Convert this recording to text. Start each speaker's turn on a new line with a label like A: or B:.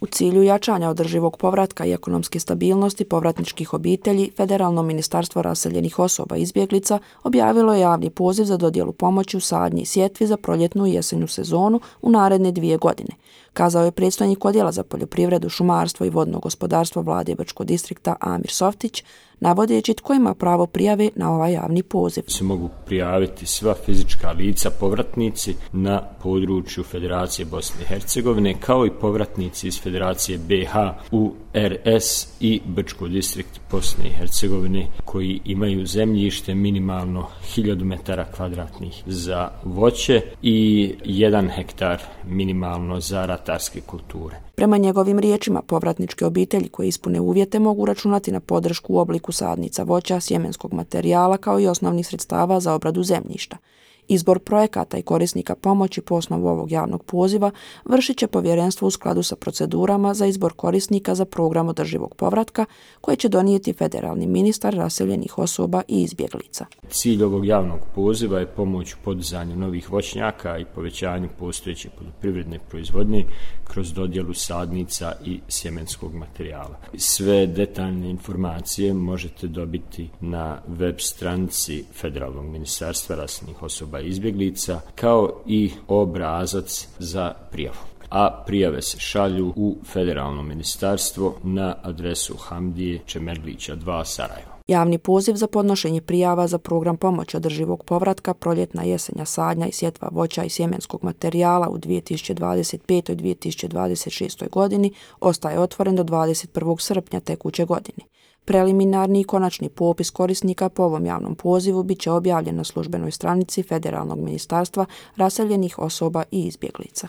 A: U cilju jačanja održivog povratka i ekonomske stabilnosti povratničkih obitelji, Federalno ministarstvo raseljenih osoba i izbjeglica objavilo je javni poziv za dodjelu pomoći u sadnji i sjetvi za proljetnu i jesenju sezonu u naredne 2 godine, kazao je predstojnik Odjela za poljoprivredu, šumarstvo i vodno gospodarstvo Vlade Brčkog distrikta Amir Softić, navodeći tko ima pravo prijave na ovaj javni poziv.
B: Se mogu prijaviti sva fizička lica povratnici na području Federacije Bosne i Hercegovine, kao i povratnici iz Federacije BiH u RS i Brčko distrikt Bosne i Hercegovine koji imaju zemljište minimalno 1000 metara kvadratnih za voće i 1 hektar minimalno za ratarske kulture.
A: Prema njegovim riječima, povratničke obitelji koje ispune uvjete mogu računati na podršku u obliku sadnica voća, sjemenskog materijala kao i osnovnih sredstava za obradu zemljišta. Izbor projekata i korisnika pomoći po osnovu ovog javnog poziva vršit će povjerenstvo u skladu sa procedurama za izbor korisnika za program održivog povratka koje će donijeti federalni ministar raseljenih osoba i izbjeglica.
B: Cilj ovog javnog poziva je pomoć u podizanju novih voćnjaka i povećanju postojeće poljoprivredne proizvodnje kroz dodjelu sadnica i sjemenskog materijala. Sve detaljne informacije možete dobiti na web stranici Federalnog ministarstva raseljenih osoba i izbjeglica, kao i obrazac za prijavu. A prijave se šalju u Federalno ministarstvo na adresu Hamdije Čemerlića 2 Sarajevo.
A: Javni poziv za podnošenje prijava za program pomoći održivog povratka, proljetna jesenja sadnja i sjetva voća i sjemenskog materijala u 2025. i 2026. godini ostaje otvoren do 21. srpnja tekuće godine. Preliminarni i konačni popis korisnika po ovom javnom pozivu bit će objavljen na službenoj stranici Federalnog ministarstva raseljenih osoba i izbjeglica.